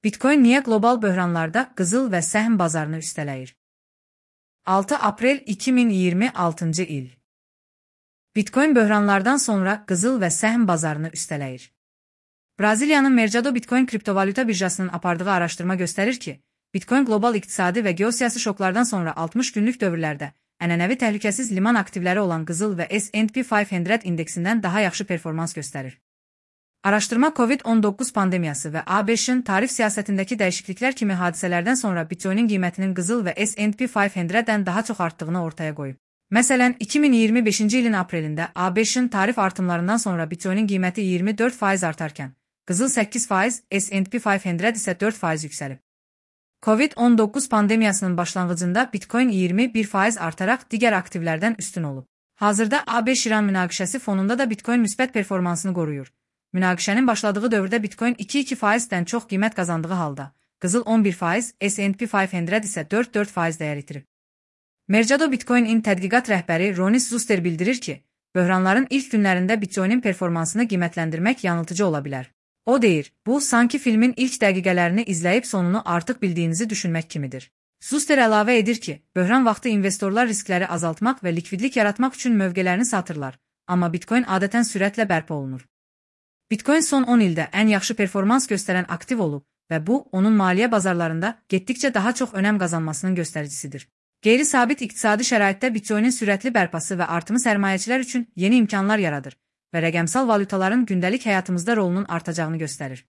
Bitcoin niyə qlobal böhranlarda qızıl və səhm bazarını üstələyir? 6 aprel 2026-cı il. Bitcoin böhranlardan sonra qızıl və səhm bazarını üstələyir. Braziliyanın Mercado Bitcoin kriptovalyuta birjasının apardığı araşdırma göstərir ki, Bitcoin qlobal iqtisadi və geosiyasi şoklardan sonra 60 günlük dövrlərdə ənənəvi təhlükəsiz liman aktivləri olan qızıl və S&P 500 indeksindən daha yaxşı performans göstərir. Araşdırma COVID-19 pandemiyası və ABŞ-ın tarif siyasətindəki dəyişikliklər kimi hadisələrdən sonra Bitcoinin qiymətinin qızıl və S&P 500-dən daha çox artdığını ortaya qoyub. Məsələn, 2025-ci ilin aprelində ABŞ-ın tarif artımlarından sonra Bitcoinin qiyməti 24% artarkən, qızıl 8%, S&P 500 isə 4% yüksəlib. COVID-19 pandemiyasının başlanğıcında Bitcoin 21% artaraq digər aktivlərdən üstün olub. Hazırda ABŞ-İran münaqişəsi fonunda da Bitcoin müsbət performansını qoruyur. Münaqişənin başladığı dövrdə Bitcoin 2,2%-dən çox qiymət qazandığı halda, qızıl 11%, S&P 500 isə 4% dəyər itirib. Mercado Bitcoin-in tədqiqat rəhbəri Ronis Zuster bildirir ki, böhranların ilk günlərində Bitcoinin performansını qiymətləndirmək yanıltıcı ola bilər. O deyir, bu, sanki filmin ilk dəqiqələrini izləyib sonunu artıq bildiyinizi düşünmək kimidir. Zuster əlavə edir ki, böhran vaxtı investorlar riskləri azaltmaq və likvidlik yaratmaq üçün mövqələrini satırlar, amma Bitcoin adətən sürətlə bərpa olunur. Bitcoin son 10 ildə ən yaxşı performans göstərən aktiv olub və bu, onun maliyyə bazarlarında getdikcə daha çox önəm qazanmasının göstəricisidir. Qeyri-sabit iqtisadi şəraitdə Bitcoinin sürətli bərpası və artımı sərmayəçilər üçün yeni imkanlar yaradır və rəqəmsal valyutaların gündəlik həyatımızda rolunun artacağını göstərir.